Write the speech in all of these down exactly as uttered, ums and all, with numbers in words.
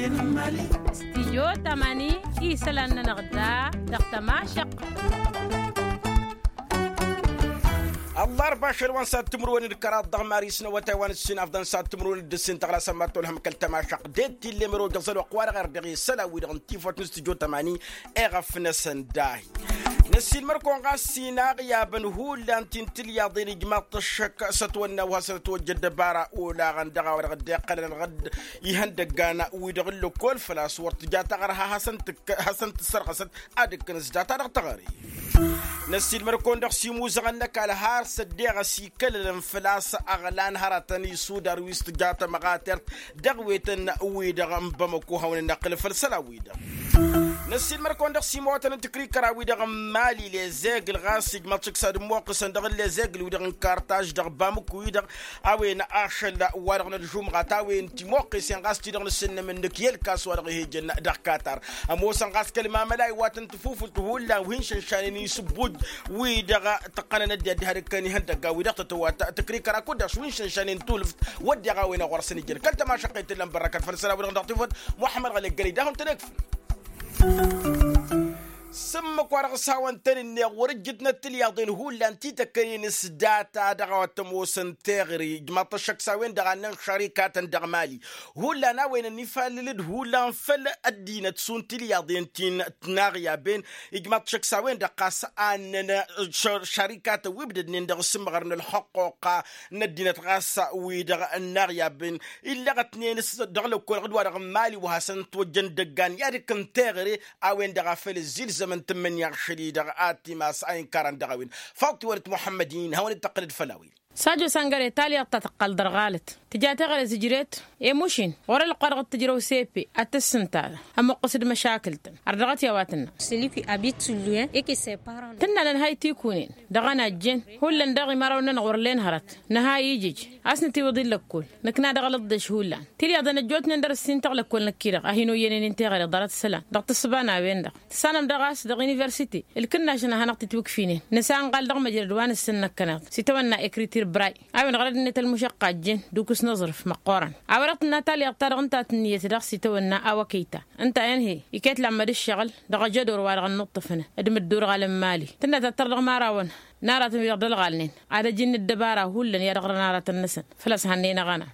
Stijyo tamani isălan-nănăɣ da dăɣ-tămašăq. Ăllarba ašăl wa n-sadd timǝrwen d-kăraḍ dăɣ-maris n-awătay wa n-ǝssin afḍăn sadd timǝrwen d-ǝssin tăɣlasăn mad-tolhăm kăl-tămašăq d-e-d t-ille măro jăẓăl wa q-wa-dăɣ erdăɣ isălan-wi-dăɣ n-tifăt n-stijyo tamani. Eɣăf-năsăn dahi năssiilmăr-kăwăn ɣas s-inaɣ i-abăn hullan ti n-tilyaḍen ijmaḍ-t ăššăk s-ătwănna wa hasăn-ătwăjja ăddăbara olaɣăn dăɣ-a-wa-dăɣ dd-iqqălăn ɣǝdd ihăndăggan wi-dăɣ n-lăkkol făl-a-s wăr tǝja taɣărha hasăn-tǝssărɣăsăt ad-ǝkkǝn s-data dăɣ-taɣăre. Năssiilmăr-kăwăn-dăɣ s-imuzăɣăn n-ăkall har s-ăddeɣ ăsikălălăn făl-a-s ăɣlan hărătăn isudar wi s-tǝja tămɣatert dăɣ-wetăn-wi-dăɣ n-bamăko hawăn-ănnăqqǝlăn făll-isălan-wi-dăɣ. Năssiilmăr-kăwăn-dăɣ s-imawătăn n-tǝkrikăra wi-dăɣ n-mali lezegl ɣas ijmaḍ-t šăkk s-ad-ămmoqqǝsăn dăɣ-lezegl-wi-dăɣ n-kartaž dăɣ-bamăko-wi-dăɣ a-wen ašăl wa-dăɣ n-ălžumɣa ta-wen timoqqesen ɣas ti-dăɣ n-asǝnnăm ǝnnǝk i-ălkas wa dăɣ-ihejăn dăɣ-katar. Ămoosăn ɣas kăl-mamăla iwatăn tafufult hullan wi hin-šănšanen isǝbbuj wi-dăɣ tăqqănăn ăddinăt diha d-ǝkkăn ihăndăgga wi-dăɣ tătăwat tǝkrikăra kud-dăɣ wi hin-šănšanen tulǝft wădden a-wen a ɣur-săn ijăn kăl-tămašăqqet tǝllăn bărrăkăt făll-isălan wi-dăɣ dăɣ-tifăt muḥămmăd ɣălek gălăy d-ahun-tăn-ekfǝl. S-ǝmmǝk wa dăɣ-s hawăn-tăn-ǝnneɣ wăr-ǝjjǝtnăt tilyaḍen hullan ti tăkkănen s-data dăɣ-a-wa t-ămoosăn teɣăre ijmaḍ-t ăššăk s-a-wen-dăɣ a ǝnnăn šărikatăn dăɣ-mali hullan a-wen ănnifallǝl d-hullan făll-ăddinăt šund tilyaḍen ti n-tinaɣyaben. Ijmaḍ-t ăššăk s-a-wen-dăɣ ɣas a ǝnnăn šărikatăn wi ǝbdădnen dăɣ-asǝmɣăr n-ălxăqquqa n-ăddinăt ɣas wi-dăɣ ănnaɣyaben illăɣătnen s-dăɣ-lăkkolăɣ d-wa-dăɣ n-mali wa hasăn-ătwăjjăn dăggan i-ad-ǝkkǝn teɣăre a-wen-dăɣ a făl ǝzzilzămăn tǝmmǝnǝya ašăl-i-dăɣ ad-t-imas a inkarăn dăɣ-a-wen. Faḍt-iwănăt muḥămmăd-in hawăn-dd-tăqqǝlăd făll-a-wen. S-ajo s-ăngăre talyaḍt ta tăqqal dăr-ɣalăt tǝja teɣăre zǝjret i-mušin ɣur-ălqoa dăɣ-tǝjrăw sepe ad-tǝssǝnta ămuqqǝs d-măšakǝl-tăn. Ărdăɣăt i-a-wa tǝnnă. Tǝnna nǝnhăy tikunen dăɣ-ănajjen hullan daɣ imărawăn-nănăɣ wăr len hărăt nǝhăy ijǝj a-s nǝtiwǝḍ i-lăkkol. Nǝkna dăɣ-alǝḍḍeš hullan tilyaḍen ăjjootnen dăr-ǝssin tăɣ-lăkkol năkk-i-dăɣ a hin-oyyen-in teɣăre ḍarăt isălan dăɣ-tǝssǝba n-a-wen-dăɣ tǝssanăm daɣ a-s dăɣ-universite ǝlkǝnnašăn a hanăɣ-tǝtwǝkfinen nǝsanɣal dăɣ-măjrăd wa nǝssǝnnăkkăneḍ s-itawănna ekritir bray a-wen ɣărăd-net ălmušăqqa ăjjeen d-ukǝs n-aẓrǝf măqqoorăn. A-wa-dăɣ tǝnna talyaḍt-ta-dăɣ ǝnta a tǝnniyăt daɣ s-itawănna a-wa kăyta ǝnta a inhăy iket lammăd ǝššăɣǝl dăɣ-ajădor wa-dăɣ ănnuṭṭăfăn d-imǝddurɣal n-imali tǝnna tattăr dăɣ-imărawăn n-aratăn wi-dăɣ d-ălɣalnen ad-ăj-in dd-ăbara hullan i-ad-ăɣrăn aratăn-năsăn făl-a-s hannăyăn aɣăna.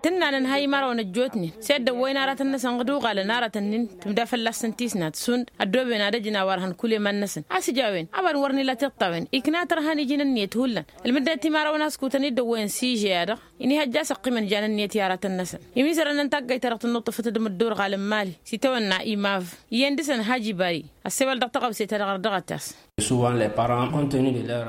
Tǝnna nǝnhăy imărawăn ăjjootnen s-e dd-ăwwăyăn aratăn-năsăn ɣǝd uɣalăn aratăn-in tǝmda fălla-săn tisnat šund ăddooben ad-ăjǝn a-wa ărhăn kul i-iman-năsăn a-s ija a-wen a-wa n-wăr n-ila tiṭṭawen ikna tărha n-iji n-ǝnniyăt hullan. Ǝlmǝdnet imărawăn a-s kutăn-dd-ăwwăyăn s-iže-a-dăɣ inihăjja a-s ăqqimăn jan ǝnniyăt i-aratăn-năsăn imiisărăn n-taggayt-ta-dăɣ tǝnnuṭṭăfăt d-imǝddurɣal n-imali s-itawănna imav iyyăn dăɣ-săn hajibari ăssewăl dăɣ-tăɣawse-ta-dăɣ ărdăɣăt-as.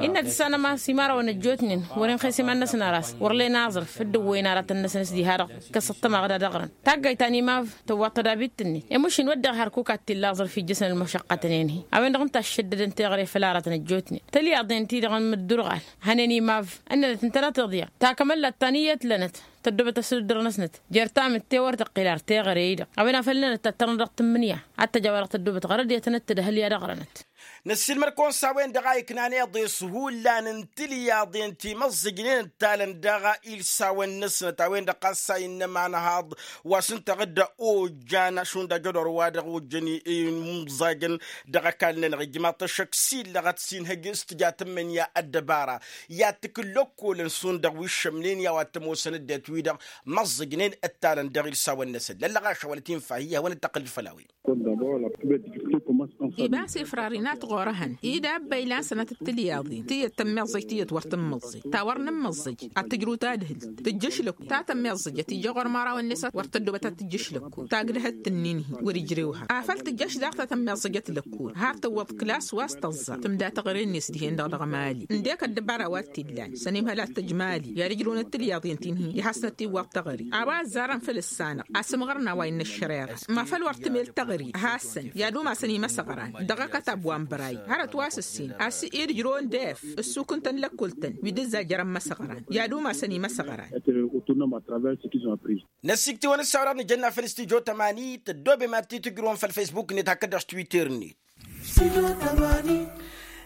Innă tǝssanăm a-s imărawăn ăjjootnen wăr-inxes iman-năsăn ar a-s wăr len aẓrǝf dd-ăwwăyăn aratăn-năsăn s-diha-dăɣ ǝkkăs ăṭṭămaɣ d-ad-ăɣrăn. Taggayt ta n-imav tăwwaḍ-t ădabit-net i-mušin wădden har kukad t-illa aẓrǝf ijjăsăn ălmušăqqătnen-hi a-wen-dăɣ ǝnta a ǝššăddădăn teɣăre făll-aratăn ăjjootnen tălyaḍen-ti-dăɣ n-imǝddurɣal. Hănen imav ǝnnănăt ǝntăneḍ iḍya takămăllat ta n-iyyăt lănăt tăddobăt ăsǝdǝddǝr-năsnăt jer-tamǝt te wăr tăqqil ar teɣăre-i-dăɣ a-wen a făl ǝnnănăt tattărnăt dăɣ-tǝmmǝnǝya ad-t-ăj a-wa-dăɣ tăddobăt ɣărăd i-ad-tănăt-tǝdhǝl i-ad-ăɣrănăt. Năssiilmăr-kăwăn s-a-wen-dăɣ a iknan iḍes hullanăn timăẓẓǝjnen ǝttalăn dăɣ-ilsawăn-năsnăt a-wen-dăɣ ɣas a innă imanhaḍ wa s-ǝnta ɣǝdda ojjan šund ajădor wa dăɣ-ojjăn imẓajăn dăɣ-ăkall-nănăɣ ijmaḍ-t ăššăk s-illăɣăt s-inhăj s-tǝja tǝmmǝnǝya ăddăbara i-ad-tǝkǝl lăkkolăn šund dăɣ-wi ǝššămnen i-a-wa t-ămoosăn ăddinăt-wi-dăɣ măẓẓǝjnen ǝttalăn dăɣ-ilsawăn-năsăn lăllăɣaša wăla tinfahi i-hawăn-dd-tăqqǝlăd făll-a-wen. Iba s-ifrăr inat ɣur-ehăn idabba ilan sănatăt tilyaḍin tiyyăt tămmiẓẓăjt tiyyăt wăr tămmiẓẓăjt ta wăr nǝmmiẓẓăj ad-tǝjrǝw tadhǝlt tǝjjăš lăkku ta tămmiẓẓăjăt ija ɣur-imărawăn-net wăr tăddobăt ad-tǝjjăš lăkku tagdăhăt tǝnnin-hi wăr-ijrewha afăl tǝjjăš daɣ ta tămmiẓẓăjăt lăkku har tǝwwăḍ klas wa s-tăẓẓa tǝmda teɣăre-net dihen-dăɣ dăɣ-mali ǝndek ăddăbara wa t-illan sănimhăl ad-tăj mali i-ad-ǝjrǝwnăt tilyaḍin ti n-hi i-hasnăt-iwwăḍ teɣăre a-wa ăzzarăn făll-ǝssanăɣ asǝmɣărna wa innă ăššăreɣa ma făl wăr tǝmel teɣăre a hasăn i-ad-umasăn imăsăɣran dăɣ-akătab wa n-băray hărăt wa s-ǝssin a-s ed ǝjrăwăn d-ef ǝssukǝn-tăn lăkkul-tăn wi d-ǝzzajărăn imăsăɣran i-ad-umasăn imăsăɣran. Năsiktǝwăn ǝssaw-dăɣ nǝjănna făll-studyo tămani tăddoobem ad-t-tǝjrǝwăn făll-facebook-net hakd-dăɣ s-twitter-net.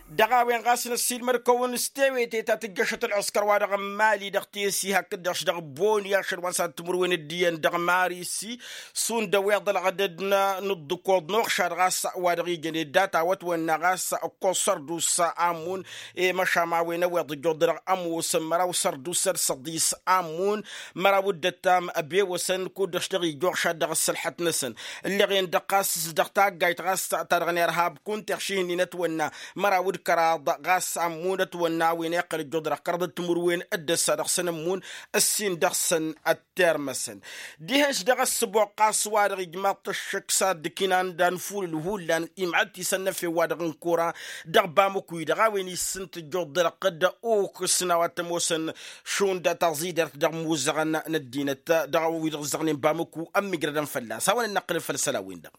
Dăɣ-a-wen ɣas năssiilmăd-kăwăn s-tewete ta tǝjjăšăt ălɣǝskăr-wa-dăɣ n-mali dăɣ-tesi hakd-dăɣ-š dăɣ-boni ašăl wa n-săn timǝrwen d-iyyăn dăɣ-mari-si. Šund ăweḍ ălɣădăd n-ǝḍḍǝkoḍ n-oɣšad ɣas wa dăɣ-ijăn i-dd-a tawăt-wănna ɣas ǝkkoẓ sărdus. Amun i-măšam a-wen ăweḍ ǝjjuḍ dăɣ-ămoosăn măraw sărdus ad-săḍis amun măraw d-ăttam ăbewăsăn kud-dăɣ-š dăɣ-ija oɣšad dăɣ-ăssălḥăt-năsăn. Ǝlleɣ-en-dăɣ ɣas dăɣ-taggayt ɣas ta dăɣ-nerhab kunta iɣšihǝnnin ătwănna măraw d-kăraḍ ɣas amun ătwănna a-wen iqqăl ǝjjuḍ dăɣ-kăraḍ d-timǝrwen d-ăssa dăɣ-săn ămmun ǝssin dăɣ-săn ăttermăsăn. Dihen-š dăɣ-ăssǝboɣ ɣas wa-dăɣ ijmaḍ-t ăššăk s-ad-dd-kinan d-anfulǝl hullan imɣăt-isăn n-efew-wa-dăɣ n-kora dăɣ-bamǝku-i-dăɣ a-wen issǝnt ǝjjuḍ dăr-ăqqǝd ukǝsna wa t-ămoosăn šund taẓidert dăɣ-imuzăɣăn n-ăddinăt dăɣ-wi-dăɣ ǝzzăɣnen bamǝku ămmijrădăn fălla-s hawăn-ănnăqqǝlăn făll-isălan-win-dăɣ.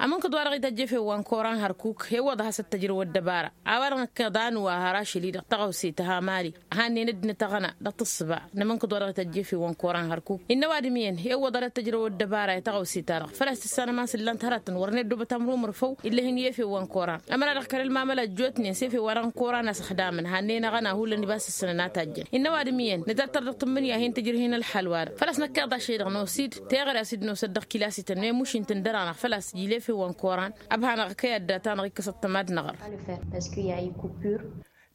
Amǝnkǝd wa dăɣ-ităjj efew wa n-koran hărkuk hewăḍ a has-ăttăjrăw ăddăbara a-wa-dăɣ năkkeḍ a nǝwa har ašăl-i-dăɣ tăɣawse tăha mali. Hannen ăddinăt aɣăna dăɣ-tǝssǝba n-amǝnkǝd wa dăɣ-ităjj efew wa n-koran hărkuk innă ăwadǝm iyyăn hewăḍ a dăɣ-tăjrăw ăddăbara i-tăɣawse-ta-dăɣ făl-a-s tǝssanăm a-s ǝllan-t hărătăn wăr n-eddobăt amrumǝr făw. Illa hin-i efew wa n-koran ămăra dăɣ-kăl-ălmamăla ăjjootnen s-efew wa dăɣ-n koran a-s ăxdamăn hannen aɣăna hullan ibas-tǝssănăn a tajjăn innă ăwadǝm iyyăn nǝtăttăr dăɣ-tǝmmǝnǝya hin-tǝjrǝh-in ălxal-wa-dăɣ făl-a-s năkkeḍ ašăl-i-dăɣ n-osid teɣăre a-s dd-nosăt dăɣ-kilas-ităn n-emuš-in tǝndăr-anăɣ făl-a-s ija ila efew wa n-koran. Ăbhanăɣ kăy-adda-ta-năɣ ikkăs ăṭṭămad n-aɣăr.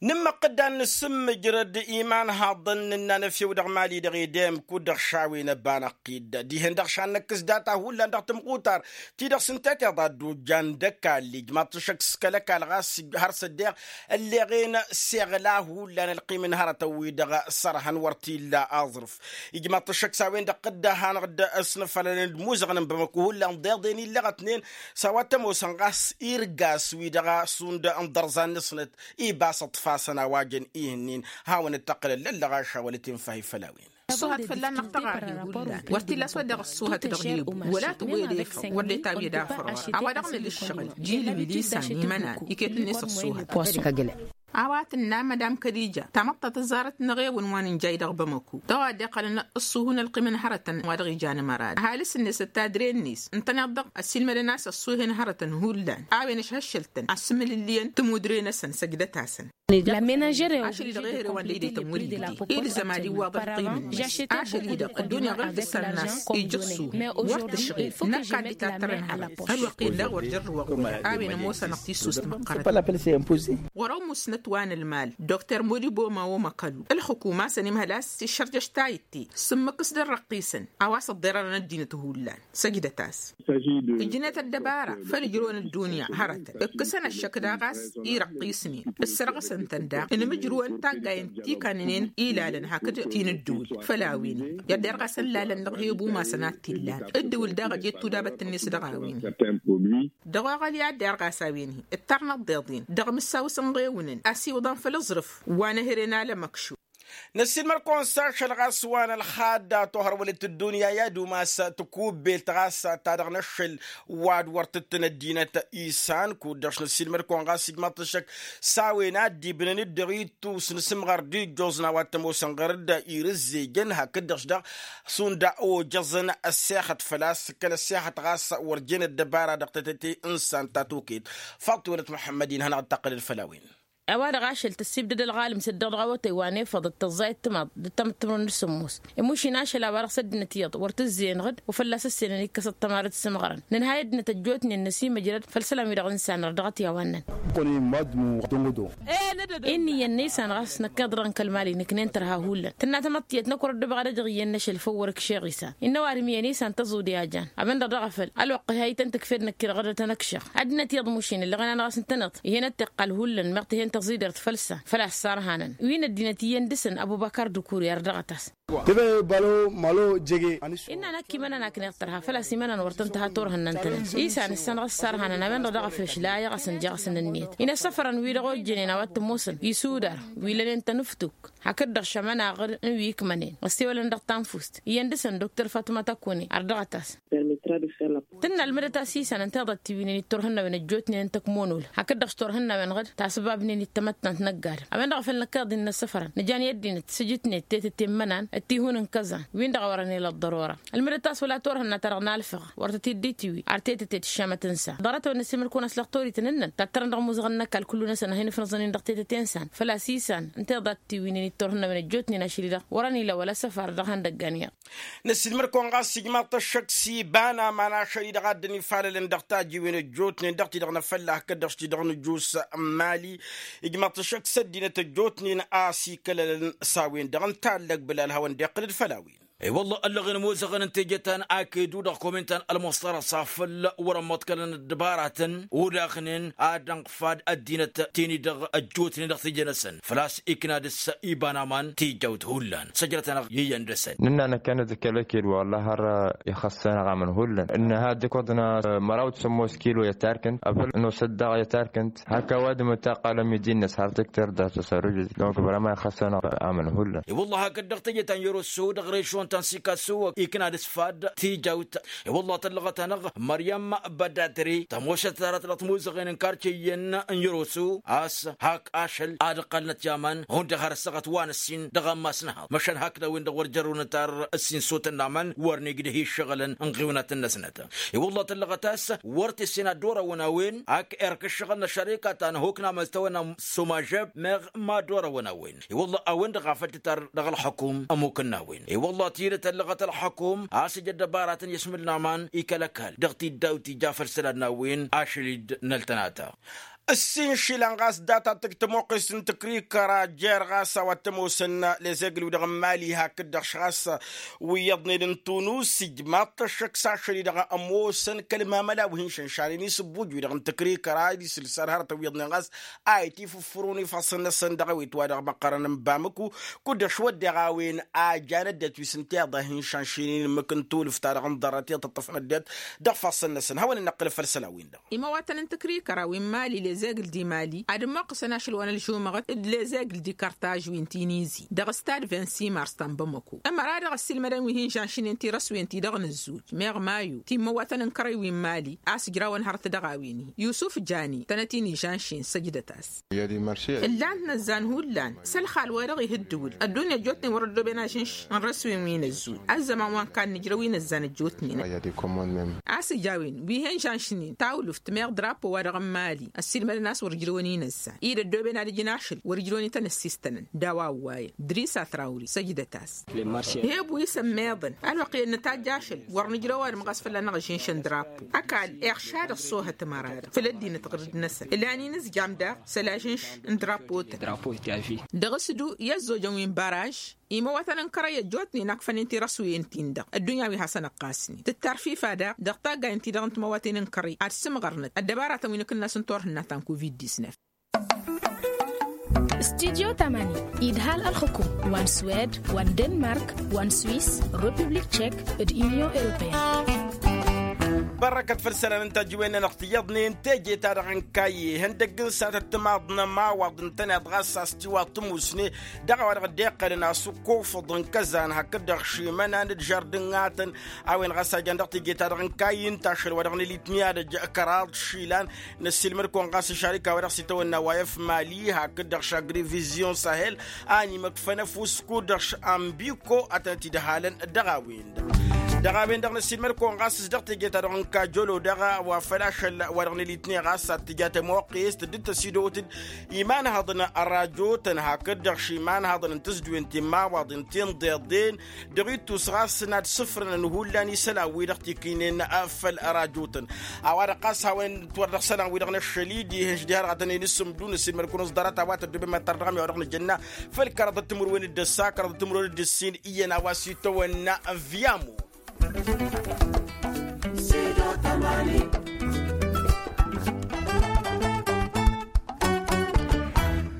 Nǝmmăqqǝd ad-nǝsǝmmǝjrăd iman haḍăn nǝnna n-efew dăɣ-mali dăɣ-edem kud-dăɣ šawen ăbanăɣ-t-dd dihen-dăɣ šan năkkǝs data hullan dăɣ-tǝmɣutar ti-dăɣ s-ǝnta tiḍa dd-ojjan d-ăkall ijmaḍ-t šăkk s-kăl-ăkall ɣas har s-ăddeɣ ălleɣen seɣla hullan ălqim n-hărătăn-wi-dăɣ sărhăn wăr t-illa aẓrǝf. Ijmaḍ-t šăkk s-a-wen-dăɣ dd-ăhanăɣ-dd ăsnăfălăn d-imuzăɣăn n-bamăku hullan ḍeḍen illăɣătnen s-a-wa t-ămoosăn ɣas irgas-wi-dăɣ šund n-iḍărẓan-năsnăt ibas ǝṭṭfasăn a-wa jăn ihǝnnin. Hawăn-dd-tăqqǝlăn lăllăɣaša wăla tinfahi făll-a-wen. Ăṣṣuhăt fălla-năɣ tăɣahi hullan wăr t-illa a-s wa dăɣ-ăṣṣuhăt dăɣ-dd-ebu wăla tǝwwed efăw wăr dd-etawed afăr ɣur-e a-wa dăɣ-nǝla ǝššăɣǝl jilǝm ilisan imănan iket-net ăṣṣuhăt. A-wa tǝnna mădam kălija tamăḍt ta tăẓẓarăt n-eɣewăn wa nǝnjay dăɣ-bamăku dăɣ-a dd-iqqălăn ǝṣṣuhu n-ălqim n-hărătăn wa dăɣ-ijan ămăra ăhalǝs-net d-tadre-net ǝntăneḍ-dăɣ ăssiilmădăn a-s ăṣṣuhen hărătăn hullan a-wen ăšhăššăl-tăn asǝmǝlǝlliyăn tămudre-năsăn săjdăt-asăn. Ašăl-i-dăɣ ehăre wa n-lăydăytăn wăr-illa ilzăm ad-iwwaḍ ălqim-net ašăl-i-dăɣ ăddunya ɣur-tǝssan n-a-s ija ăṣṣuhu wăr tǝšɣil năkk ad-dd-tattărăn hărăt ălwăqq-en daɣ wăr jărrǝwăɣ wăla a-wen ămoosănăɣ tissust măqqărăt. Ɣur-ăwmusnăt wa n-ălmal dr modibo mawo măkălu ǝlxǝkum a-s ănimhăl a-s iššărjăš tayǝtte s-ǝmmǝk s-dd-ărrăqqisăn a-wa s-ăḍḍerărăn ăddinăt hullan. Săjdăt-as ǝjnet ăddăbara făll-ǝjrăwăn ăddunya hărătăn ǝkkǝsăn ăššăk daɣ a-s irăqqisnen ǝssărɣǝsăn-tăn daɣ ǝnmǝjrǝwăn taggayen ti kannănen ilalăn hakd ti n-ǝddǝwǝl făll-a-wen-hi. Iyyăḍ derɣasăn lalăn dăɣ-he-ăbumasăn a t-illan ǝddǝwǝl daɣ ăjet tudabăt-net dăɣ-a-wen-hi. Dăɣ-oɣăl i-ad-derɣas a-wen-hi ǝttarnăt deḍen dăɣ-imǝssaw s-ǝnɣewǝnăn ăsiwǝḍăn făll-aẓrǝf wa n-ehăre n-alăm ăkšum. Năssiilmăd-kăwăn s-ašăl ɣas wa n-ălxadda tohărwălăt ăddunya i-ad-umas tikubbelt ɣas ta dăɣ-năššăl wa d-wăr tǝttǝn ăddinăt isan kud-dăɣ-š năssiilmăd-kăwăn ɣas ijmaḍ-t ăššăk s-a-wen a dd-ibnăn d-dăɣ-ittus n-asǝmɣar d-ijjoẓ n-a-wa t-ămoosăn ɣăr-dd irǝzzejăn hakd-dăɣ-š daɣ šund ojăẓăn ăssexăt făl-a-s kăl-ăssexăt ɣas wăr jen ăddăbara dăɣ-tătăte n-san ta tokăyăt. Faḍt-t-wănăt muḥămmăd-in hanăɣ-dd-taqqǝlăd făll-a-wen. A-wa-dăɣ ašăl tăssiibdăd ălɣalǝm s-dd-dăɣ dăɣ-awătay wa n-efăḍăt tăẓẓayăt timaḍ d-tamǝttǝmrǝn d-sǝmmos. Imuš-in ašăl a-wa-dăɣ s-ăddinăt iyyăḍ wăr tǝzzeyăn ɣǝd wa fălla-s ǝssenăn ikkăs ăṭṭămarăt s-imɣărăn nǝnhay ăddinăt ăjjootnen năsimăjrăd făll-isălan-wi-dăɣ n-insanăr dăɣ-t i-a-wa ǝnnăn. Inn' iyyăn n-isan ɣas năkk iḍrăn kăl-mali nǝknen tărha hullan tǝnna tamăḍt tiyyăt năkk wăr-ăddubăɣ ad-ăjăɣ iyyăn n-ašăl făw wăr-ǝkšeɣ isan. Innă ăwadǝm iyyăn isan tăẓude a jan a-wen-dăɣ daɣ a făl ălwăqq ih'-ayǝtăn tǝkfed năkk-i-dăɣ ad-tăn-ăkšăɣ. Ăddinăt iyyăḍ mušin ǝllăɣăn-anăɣ a-s ǝntăneḍ ih'-en ăttiqqal hullan meɣ tǝhen tăẓidert făll-săn făl-a-s sarhanăn wi n-ăddinăt iyyăn dăɣ-săn ăbubăkar dukuri ărdăɣăt-as. Tǝbăy balo malo jege. Innă năkk imănăn a kăneḍ tărha făl-a-s imănăn wăr tăn-tǝha turhǝn n-ăntăneḍ isan ǝssanăɣ ǝssarhanăn a-wen-dăɣ daɣ a făl ǝšlayăɣ-as ǝnjeɣ-as n-ǝnniyăt. Inăssăfărăn wi-dăɣ ojjănen a-wa t-ămoosăn isudar wi lănen tănǝftuk. hakd-dăɣ šămănaɣ n-wi ǝkmănen ăssewălăn dăɣ-tanfust iyyăn dăɣ-săn doktor fatuma takune ardăɣăt-as. Tǝnna ălmǝdăt a-s isan ǝnta iḍa t-iwǝynen itturhǝnnawen ăjjootnen n-tăkmonol hakd-dăɣ s-turhǝnnawen ɣǝd tasǝbabnen i-tamăttant n-ăgg-adǝm a-wen-dăɣ a făl năkk iḍǝn n-ăssăfărăn nǝjan i-ăddinăt s-ǝjǝtnet tetăte n-imănan d-tihun n-kăẓan win-dăɣ a wărăn ila ăḍḍărora. Ălmǝdăt a-s wăla turhǝnna-ta-dăɣ n-alfăɣ wăr tăt-dd-itiwǝy ar tetăte d-iššamăt n-san ḍarăt-a-wen n-ăssiilmăd-kăwăn a-s lăxtorităn ǝnnăn tattărăn dăɣ-imuzăɣăn n-ăkall kullu-năsăn ad-hin-ǝfnăẓăn-in dăɣ-tetăte n-san făl-a-s isan ǝnta iḍa t-iwǝynen itturhǝnnawen ăjjootnen ašăl-i-dăɣ wărăn ila wăla săfar dăɣ-ihăndăggan iyyăḍ. Năssiilmăd-kăwăn ɣas ijmaḍ-t ăššăk s-iba n-aman ašăl-i-dăɣ a dd-ănifalălăn dăɣ-tajiwen ăjjootnen dăɣ-ti-dăɣ n-afălla hakd-dăɣ s-ti-dăɣ n-ǝjus n-imali. Ijmaḍ-t ăššăk s-ăddinăt ăjjootnen a-s ikălălăn s-a-wen-dăɣ ǝnta a ăllăgbǝl alhawăn-dd-iqqǝlăd făll-a-wen. I-wălla ăllăɣen ămoozăɣăn n-teje ta n-akedu dăɣ-komintan ălmostarăsa făll-wăr-ămmăḍkălăn ăddăbaratăn odaɣnen ad-ănɣfad ăddinăt-ten-i-dăɣ ăjjootnen dăɣ-teje-năsăn făl-a-s ikna dăɣ-s iba n-aman tijawt hullan săjdăt-anăɣ iyyăn dăɣ-săn. Nǝnna năkkănăt d-kăl-ăked wălla har ixăssăn aɣamăn hullan ǝnnăha dd-ǝkkoḍna măraw d-sămmos kilo i-ătarkǝnt afăl nosăt daɣ i-ătarkǝnt hak ăwadǝm ǝttaqalăm idin-năs har tǝktăr d-asăsărujǝd donc vrăma ixăssăn aɣamăn hullan. I-wălla hakd-dăɣ teje ta n-yăroso dăɣ-režon ta n-sikaso ikna d-asfad tijawt. I-wălla tăllăɣăt-anăɣ măryăm bădatre tămošăt tarat dăɣ-timuzăɣen n-karce iyyăn n-yăroso a-s hak ašăl ad-ǝqqălnăt i-aman hundăɣ har ăssaɣăt wa n-ǝssin dăɣ-ammas n-haḍ măšan hakd a-wen-dăɣ wăr jărrăwnăt ar ǝssin sotăn n-aman wăr n-igdăh iššăɣǝlăn n-ɣiwnaten-năsnăt. I-wălla tăllăɣăt a-s wăr t-essen ad-dd-orăwăn a-wen ak erk ǝššăɣǝl n-ăššăreka ta n-ehok n-amăztăwăn n-somažeb meɣ mad-orăwăn a-wen. I-wălla a-wen-dăɣ a făl tǝtar dăɣ-ălxukum ămmukăn n-a-wen i-wălla tidǝt ăllăɣăt ălxukum a-s ija ăddăbaratăn i-asmǝl n-aman i-kăl-ăkall dăɣ-tiddaw ti ja făll-isălan n-a-wen ašăl-i dd-năltănata. Ǝssin išilan ɣas data tǝg tămoqqest n-tǝkrikăra jer-ɣas a-wa t-ămoosăn lezegǝl-wi-dăɣ n-imali hakd-dăɣ š-ɣas wi iyyăḍnen n-tunus ijmaḍ-t ăššăk s-ašăl-i-dăɣ ămoosăn kăl-mamăla wi hin-šănšanen isǝbbuj-wi-dăɣ n-tǝkrikăra d-isǝlsar hărătăn wi iyyăḍnen ɣas a itifǝffărun ifassăn-năsăn dăɣ-awet wa dăɣ-măqqărăn n-bamǝku. Kud-dăɣ šwăddeɣ a-wen a jan ăddinăt wi s-ǝnta iḍa hin-šanšinen ǝmmǝk n-tulǝft-ta-dăɣ n-ḍarrăt i-ad-tǝṭṭăfăn ăddinăt dăɣ-ifassăn-năsăn hawăn-in-năqqǝlăf făll-isălan-win-dăɣ. Imăwatăn n-tǝkrikăra wi n-mali lezegǝl d-imali ad-ămmoqqăsăn ašăl wa n-ălžumăɣăt d-lezegǝl d-ikartaž wi n-tinizi dăɣ-stad vingt-six mars ta n-bamăko. Ămăra-dăɣ ăssiilmădăn wi hin-žănšnen tirăswen-ti-dăɣ n-ăzzuj meɣ mayu ti n-imăwatăn n-kărăy wi n-mali a-s ǝjrawăn hărăt dăɣ-a-wen-hi yusuf jani tănăt-in ižănšen săjdăt-as. Ǝllan-t inăzzan hullan s-ălxal-wa-dăɣ ih' ǝddǝwǝl ăddunya ăjjootnen wăr-ăddooben ažǝnš n-răswen wi n-ăzzuj ăzzăman wa n-kannǝjrăw inăzzan ăjjootnen. A-s ǝja a-wen wi hen-žănšnen tawlǝft meɣ drapo-wa-dăɣ n-mali ăssiilmădăn a-s wăr ǝjrăwăn inăzzan-i d-ăddooben ad-ǝjǝn ašăl wăr ǝjrăwăn ităn ăssistănăn. D-a-wa ǝwwayăn dris atrawri săjdăt-as. He-ăbu isămmeḍăn ălwăqq i-ănnătajj ašăl wăr nǝjrăw ăwadǝm ɣas fălla-năɣ ažǝnš n-drapo ăkall iɣša dăɣ-sohăt ămăra-dăɣ făll-ăddinăt ɣǝrǝd-năsăn ǝlan inǝzjam daɣ s-ălažǝnš n-drapo-tăn. Dăɣ-s du i-ăzzojăn wi n-baraž imăwatăn n-kărăy ăjjootnen akfănen tirăswen-tin-dăɣ ăddunya wi hasăn-ăqqasnen tǝttar fifa daɣ dăɣ-taggayen-ti-dăɣ n-timăwaten n-kărăy ad-sǝmɣărnăt ăddăbaratăn wi n-akǝnnas n-turhǝnna ta n-covid-disnef. Studyo tamani idhal ălxukum wa n-swed wa n-denmark wa n-swis, republik tchek d-unyon europeyăn. Bărrăkăt făll-isălan n-tajǝwen-nănăɣ tiyyăḍnen teje-ta-dăɣ n-kayye ihăndăgg n-sănatăt timaḍ n-ămawaḍ ǝntăneḍ ɣas a-s tiwaḍ tǝmusne dăɣ-a-wa-dăɣ dd-iqqălăn asǝkkofăḍ n-kăzan hakd-dăɣ šimănan d-žardǝngatăn. A-wen ɣas a jan dăɣ-teje-ta-dăɣ n-kayye ǝnta ašăl wa dăɣ-nǝlit miyadăj kăraḍ išilan. Năssiilmăd-kăwăn ɣas ašarika wa dăɣ-s itawănna wa f-mali hakd-dăɣ š-agrivizion sahel a ănimăkfăn ăfuss kud-dăɣ š-ambiko ad-tănăt-dd-halăn dăɣ-a-wen-dăɣ. Dăɣ-a-wen-dăɣ năssiilmăd-kăwăn ɣas s-dăɣ teje-ta-dăɣ n-kajolo dăɣ-a-wa făl ašăl wa dăɣ-nǝlit-ne ɣas ad-tǝja tămoqqest dd-tăsidăwăt-dd imanhăḍăn ărajotăn hakd-dăɣ š-imanhăḍăn n-tǝzdǝwen timmawaḍen tinḍeḍen. Dăɣ-ittus ɣas n-ad-sǝfrănăn hullan isălan-wi-dăɣ tikǝynen făll-ărajotăn. A-wa-dăɣ ɣas hawăn-t wăr dăɣ-isălan-wi-dăɣ n-ašăl-i dihen-š diha-dăɣ ad-tăn-in-ǝssǝmdǝw năssiilmăd-kăwăn s-ḍarăt a-wa tăddobem ad-tărdăɣăm i-a-wa dăɣ-nǝjănna făll-kăraḍăt timǝrwen d-ǝssa kăraḍăt timǝrwen d-ǝssin iyyăn a-wa s-itawănna n-viyamo.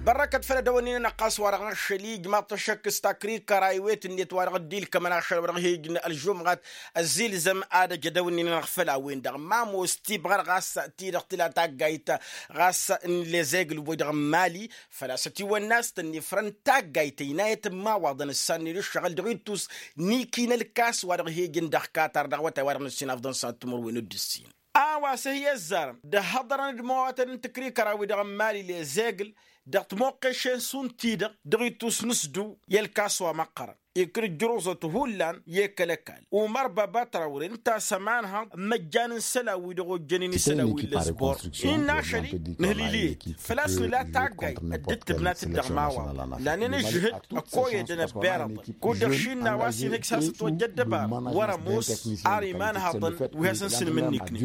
Părrăkăt făll-edăwănnin-anăɣ ɣas wa-dăɣ n-ašăl ijmaḍ-t ăššăk s-takrikăra iwet-net wa-dăɣ dd-ilkămăn ašăl wa-dăɣ hi-ijn ălžumɣat ăzzilzăm ad-ăj edăwănnin-anăɣ făll-a-wen-dăɣ mamo s-tibɣăr ɣas ti-dăɣ tǝla taggayt ɣas n-lezegǝl-wi-dăɣ n-mali. Făl-a-s ătiwănna a-s tăn-ifrăn taggayt ăynayăt n-imawaḍăn ǝssannen ǝššăɣǝl dăɣ-ittus n-ikinălkas wa-dăɣ hi-ijǝn dăɣ-katar dăɣ-awătay wa-dăɣ n-ǝssin afḍăn s-ad-timǝrwen d-ǝssin. A-wa s-ehǝyăzzarăn d-ăhhăḍărăn d-imawatăn n-tǝkrikăra-wi-dăɣ n-mali lezegǝl dăɣ-timoqqešen šund-ti-dăɣ dăɣ-ittus n-asdu i-ălkas wa măqqărăn ikǝr ǝjjăruẓăt hullan i-kăl-ăkall umăr baba trawre ǝnta a-s ămanhăḍ n-imăjjan n-isălan-wi-dăɣ ojjănen isălan wi n-lăzbor. Innă ašăl-i nǝhlǝl-i-dd făl-a-s nǝla taggayt dd-tǝbnat d-dăɣ imawaḍăn lannen ǝžžǝhǝd ăkoyădăn ăbbirăḍăn kud-dăɣ šinna wa s-inhǝj s-hasăt-wăjja ăddăbar wăr-ămoos ar imanhăḍăn wi hasăn-sǝnmǝnniknen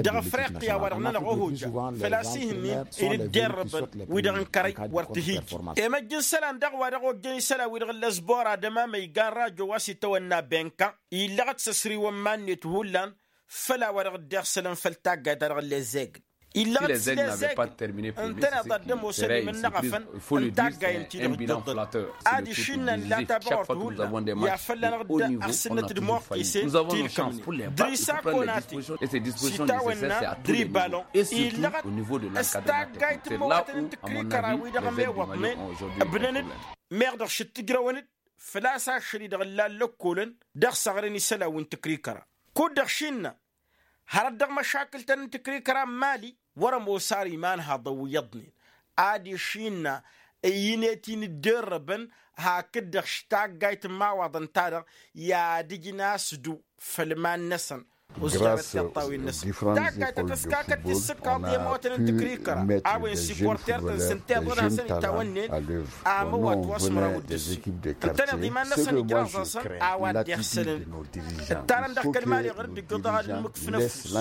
dăɣ-afriqya wa-dăɣ-nănăɣ ohojja. Făl-a-s ihǝnnin inǝdderrăbăn wi-dăɣ n-kărăy wăr t-hi-iji emăjj n-isălan daɣ wa dăɣ-ojjăn isălan-wi-dăɣ n-lăzbor ad-ămamăy igan rajo wa s-itawănna benka illăɣăt s-ăsriwăn iman-net hullan. Făll-a-wa dăɣ-dd-iɣsălăn făll-taggayt-ta-dăɣ n-lezegǝl illăɣăt s-lezegǝl ǝntăneḍ ad-dd-ămoosăn imǝnnăɣăfăn n-taggayt-ti-dăɣ dd-ăḍḍăḍ. Ad-išinna n-lata băɣărt hullan i-ad-fălla-năɣ dd-ăɣsǝnnăt d-imoqqisen ti-ilkămnen dăr-isa konate s-itawănna dăr-ibalon illăɣăt s-taggayt n-imawatăn n-tǝkrikăra-wi-dăɣ ămewăḍnen ǝbnăn-dd meɣ dăɣ-šǝttǝjrăwăn-dd. Făl-a-s ašăl-i-dăɣ ǝllan lăkkolăn dăɣ-săɣrǝn isălan wi n-tǝkrikăra kud-dăɣ šinna hărăt dăɣ-măšakǝl-tăn n-tǝkrikăra n-mali wăr-ămoos ar imanhăḍăn wi iyyăḍnen ad-išinna ăyy-net-in dd-errăbăn hakd-dăɣ š-taggayt n-imawaḍăn-ta-dăɣ i-ad-ǝjǝn asǝdu făll-iman-năsăn. Uzjarăt tiṭṭawin-năsăn taggayt ta tăskakăt tissǝkkaḍ i-ămootăn n-tǝkrikăra a-wen siporter-tăn s-ǝnta iḍa ad-hasăn-itawănnen amăwat wa s-măraw d-ǝssin ǝntăneḍ iman-năsăn ijraẓ-asăn a-wa dd-iɣsălăn. Ǝttarăn dăɣ-kăl-mali ɣur-dd-ǝjjuḍ dăɣ-ad-nǝmǝkfǝn ăfuss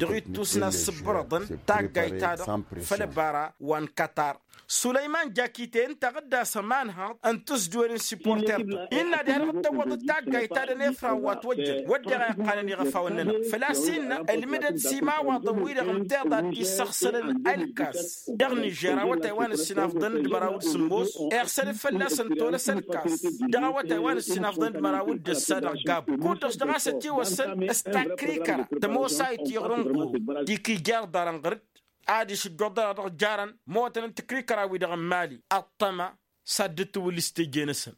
dăɣ-ittus n-ad-sǝbbărăḍăn taggayt-ta-dăɣ făll-ăbara wa n-katar. Sulăyman jakite ǝnta a ɣǝddas ămanhăḍ n-tǝzduwen n-siporter-tăn innă ad-iha-dăɣ dd-tăwwăḍăt taggayt ta dăɣ-nefran wa ătwăjjăn wădden a iqqanăn iɣăfawăn-nănăɣ făl-a-s innă ǝlmǝdăt s-imawaḍăn-wi-dăɣ ǝnta iḍa dd-issăɣsălăn ălkas dăɣ-nižer awătay wa n-ǝssinafḍăn d-măraw d-sǝmmos iɣsălăt fălla-săn tolăs ălkas dăɣ-awătay wa n-ǝssinafḍăn d-măraw d-ǝssa dăɣ-gab kud-dăɣ s-dăɣ-a-s ătiwăsăn s-takrikăra tămoosayt i-ɣur-ǝnɣu d-ikija iḍarăn ɣur-dd ad-išǝjjuḍărăɣ dăɣ-jarăn motăn n-tǝkrikăra-wi-dăɣ n-mali ăṭṭăma s-ad-dd-tǝwǝl s-teje-năsăn.